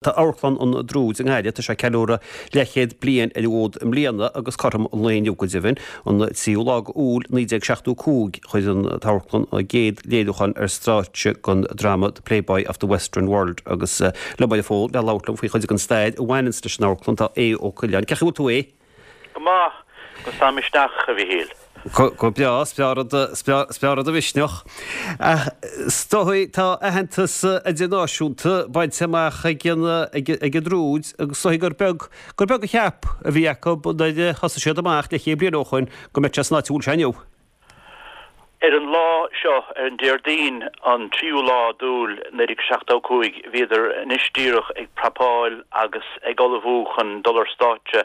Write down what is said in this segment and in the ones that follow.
Tá Amharclann an Druid i nGaillimh, tá sé ag ceiliúradh leathchéad bliain ar an bhfód i mbliana agus cothrom an lae inniu go deimhin, an 3ú lá de Iúil 1975, chuir an t-amharclann a gcéad léiriúchán ar stáitse den dráma The Playboy of the Western World agus liom ar an bhfón le labhairt liom faoi chuid den stair a bhaineanns leis an amharclann tá Aodh Ó Coileáin. Cén chaoi a bhfuil tú a Aodh? Go maith, agus tá misneach, a Mhichíl. Go breá, is breá rud, is breá rud an mhisneach. Ach is dóigh tá aitheantas idirnáisiúnta bainte amach ag an, ag an Druid agus is dóigh gur beag, gur beag a cheap a bhí acu nuair a thosaigh siad amach leathchéad bliain ó shoin go mbeadh sé san áit a bhfuil sé inniu. Ar an lá seo, ar an Déardaoin an tríú lá d'Iúil 1975, bhíodar anois díreach ag prapáil agus ag ullmhú chun dul ar stáitse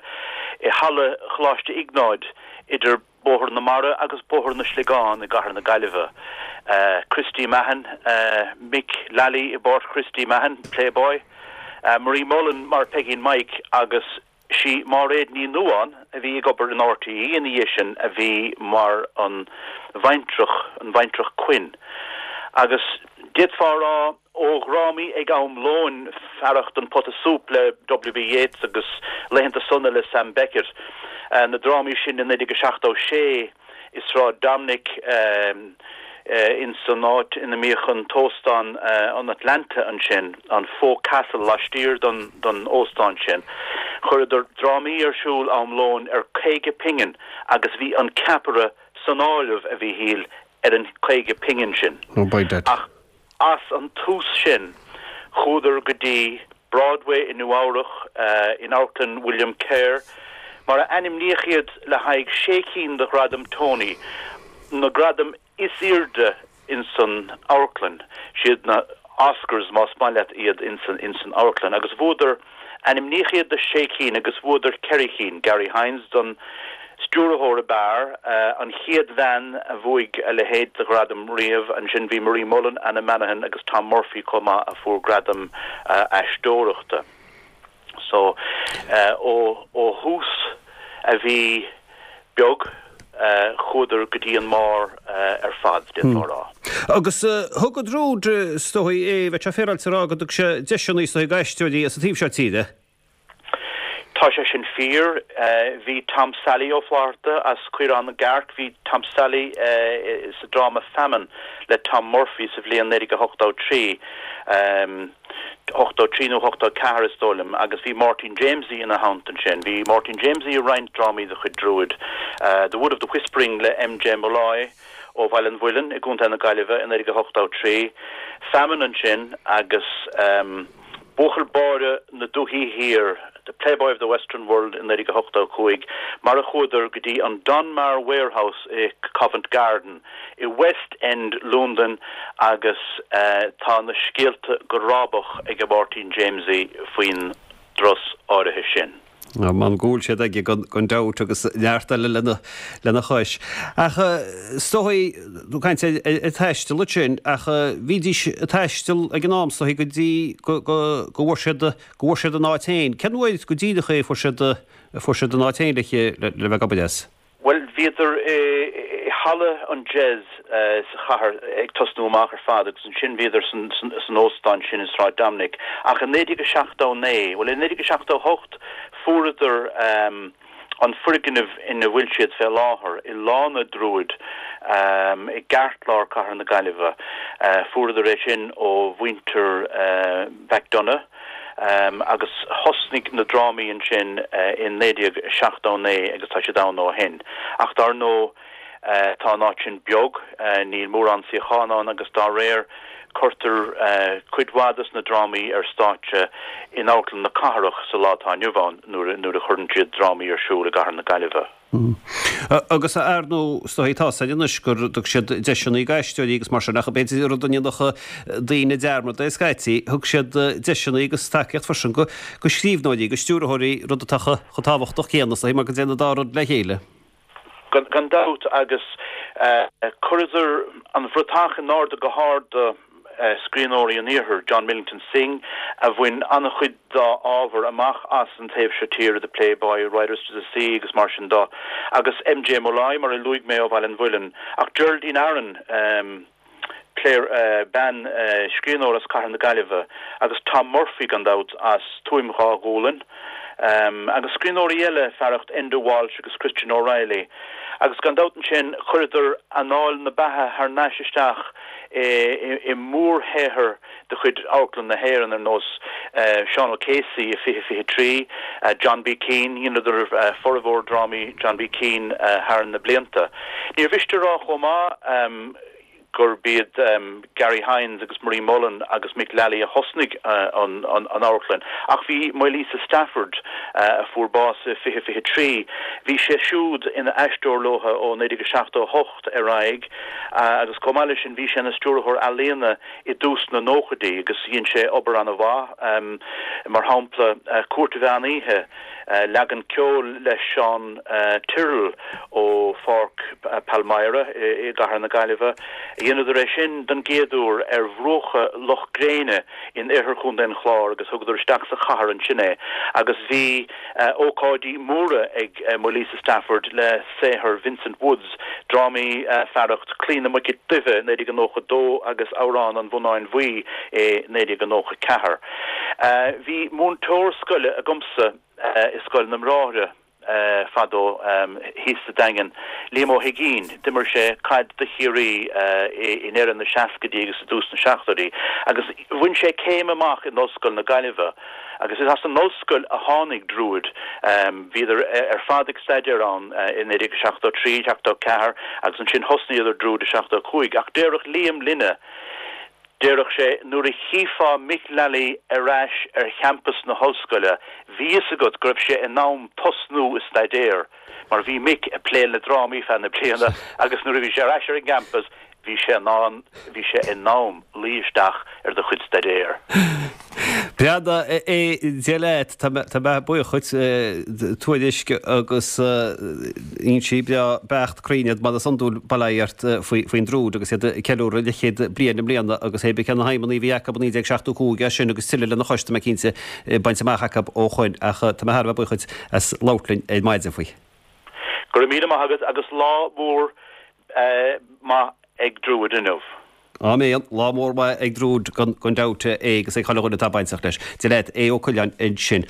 i Halla Choláiste Iognáid idir Bóthar na Mara agus Bóthar na Sliogán i gcathair na Gaillimhe. Christy Mahon, Mick Lally i bpáirt Christy Mahon, Playboy, Marie Mullen mar Peigín Mike agus Sí Máiréad Ní Nuadháin, a bhí ag obair in RTÉ ina dhiaidh sin, a bhí mar an bhaintreach, an bhaintreach Quinn. Agus d'fhéadfá a rá, ó dhrámaí ag am lóin, fearacht An Pota Súp le W.B. Yeats agus Laethanta Sona le Sam Beckett, na drámaí sin i 1976, i Sráid Dominic, ins an áit ina mbíodh an t-óstán an Atlanta ansin, an Folk Castle laistiar don don óstán sin. Chuireadar drámaí ar siúl am lóin ar 50 pingin agus bhí an ceapaire san áireamh, a Mhíchíl, ar an 50 pingin sin. Oh, by dad. Ach as an tús sin, chuadar go dtí Broadway i Nua Eabhrach, in Amharclann William Kerr, mar a ainmníodh iad le haghaidh sé cinn de Ghradaim Tony, na gradaim is airde insan amharclann, siad na Oscars más maith leat iad insan amharclann, agus bhuadar Ainmníodh iad do sé cinn agus bhuadar ceithre chinn, Garry Hynes don stiúrthóir ab fhearr, an chéad bhean a bhuaigh a leithéid de ghradam riamh. Ansin bhí Marie Mullen, Anna Manahan agus Tom Murphy chomh maith a fuair gradaim aisteoireachta. So ó thús a bhí beag, chuadar go dtí an mbarr ar fad, d'fhéadfá a rá. Agus thug an Druid, is dóigh, é, bheadh sé féaráilte a rá go dtug sé deiseanna is dóigh d'aisteoirí as an taobh seo tíre. Tá sé sin fíor. Bhí Tom Sally Ó Flatharta as Caorán na gCearc, bhí Tom Sally sa dráma Famine le Tom Murphy sa bhliain 1983. 83 nó 84 is dóigh liom, agus bhí Máirtín Jamesie ina theannta ansin. Bhí Máirtín Jamesie i roinnt drámaí de chuid Druid, The Wood of the Whispering le M.J. Molloy ó Bhaile an Mhuilinn i gContae na Gaillimhe i 1983, Famine ansin agus Buachaill Báire na Dúichí Thiar, The Playboy of the Western World i 1985, mar a chuadar go dtí an Donmar Warehouse i Covent Garden. i West End Londain agus tá na scéalta go rábach ag Máirtín Jamesie faoin dturas áirithe sin. M'anam go bhfuil siad aige gan dabht agus neart eile lena chois. Ach is dóigh, tú ag caint ar taisteal ansin, ach bhídís ag taisteal ag an am is dóigh go dtí go bhfuair siad go bhfuair siad a n-áit féin. Cén uair go díreach é a fuair siad a fuair siad a n-áit féin le le bheith ag obair as? Bhuel, bhíodar i halla an Jez sa chathair ag tosnú amach ar fad agus ansin bhíodar san óstán sin i Sráid Dominic. Ach i 1979, bhuel i 1978 fuaireadar an foirgneamh ina bhfuil siad fé láthair, i Lána Druid i gceartlár cathair na Gaillimhe. Fuaireadar é sin ó mhuintir McDonagh. Agus thosnaigh na drámaí ansin i 1979 agus tá siad ann ó shin. Ach dar ndóigh tá an áit sin beag, níl mórán suíochán ann agus dá réir cuirtear cuid mhaith dos na drámaí ar stáitse in Amharclann na Cathrach sa lá atá inniu ann nuair a chuireann siad drámaí ar siúl i gcathair na Gaillimhe. Agus ar ndóigh, is dóigh, tá 's againn anois gur thug siad deiseanna d'aisteoirí agus mar sin, ach b'fhéidir rud a ndéanfadh daoine dearmad de scaití, thug siad deiseanna agus tacaíocht freisin do scríbhneoirí, do stiúrthóirí, rud atá chomh tábhachtach céanna, is dóigh, mar go dtéann an dá rud le chéile. Gan dabht, agus chuireadar an bhratach in airde go hard do scríbhneoirí an Iarthair, John Millington Synge, a bhain an-chuid dá ábhar amach as an taobh seo tíre, The Playboy, Riders to the Sea agus mar sin de, agus M.J. Molloy, mar a luaigh mé, ó Bhaile an Mhuilinn. Ach Geraldine Aaron,. Claire, bean, scríbhneoir as Cathair na Gaillimhe, agus Tom Murphy, gan dabht, as Tuaim Dhá Ghualainn, agus scríbhneoirí eile fearacht Enda Walsh agus Christian O'Reilly. Agus gan dabht ansin, chuireadar anáil na beatha thar n-ais isteach i mórshaothair de chuid Amharclann na hÉireann ar nós Seán O'Casey i 2023, John B. Keane, dheineadar formhór drámaí John B. Keane thar na blianta. Níor mhiste a rá chomh maith gurb iad Garry Hynes agus Marie Mullen agus Mick Lally a thosnaigh an amharclann ach bhí Maolíosa Stafford, a fuair bás i 2023, bhí sé siúd ina aisteoir leo ó 1978 ar aghaidh agus chomh maith leis sin bhí sé ina stiúrthóir ealaíona i dtús na nóchaidí agus dhein sé obair an-mhaith, mar shampla Cúirt an Mheán Oíche, leagan ceoil le Seán Tyrrell ó Pháirc Palmyra i gCathair na Gaillimhe. Dheineadar é sin don gcéad uair ar bhruacha Loch Gréine in oirthear Chontae an Chláir agus thugadar isteach sa chathair ansin é agus bhí ócáidí móra ag Maolíosa Stafford le saothar Vincent Woods, drámaí fearacht Claí na Muice Duibhe, 1992 agus Amhrán an Bhonnáin Bhuí i 1994. Bhí múinteoir scoile agamsa i Scoil na mBráithre fadó thíos sa Daingean, Liam Ó hUiginn. D'imir sé caid do Chiarraí i ndeireadh na seascaidí agus i dtús na seachtóidí agus bhain sé céim amach in Ollscoil na Gaillimhe. Agus is as an ollscoil a tháinig Druid. Bhíodar ar fad ag staidéar ann i 1973, 74 agus ansin thosnaíodar Druid i 75. Ach déarfadh Liam linne, déarfadh sé, nuair a chífeá Mick Lally ar ais ar champas na hollscoile, bhí fhios agat go raibh sé in am tosnú a staidéar mar bhí Mick ag plé le drámaí feadh na bliana agus nuair a bhí sé ar ais ar an gcampas, Bhí sé in ann, bhí sé in am luí isteach ar do chuid staidéir. Breathnaigh, a Dia leat, tá mé buíoch dhuit, tuairisc agus fhoinsí breá beacht cruinn iad mar is iondúil, bail ó Dhia ort faoin Druid agus iad ag ceiliúradh leathchéad bliain i mbliana agus hé bí cé na haidhmeanna a bhí acu i 1975 é sin agus tuilleadh lena chois tá mé cinnte bainte amach acu ó shoin ach tá mé thar a bheith buíoch dhuit as labhairt linn ar maidin faoi. Go raibh míle maith agat agus lá mór maith ag Druid inniu. Áiméan. Lá mór maith ag Druid gan dabht é agus ag chuile dhuine atá bainteach leis. Dia leat, Aodh Ó Coileáin ansin.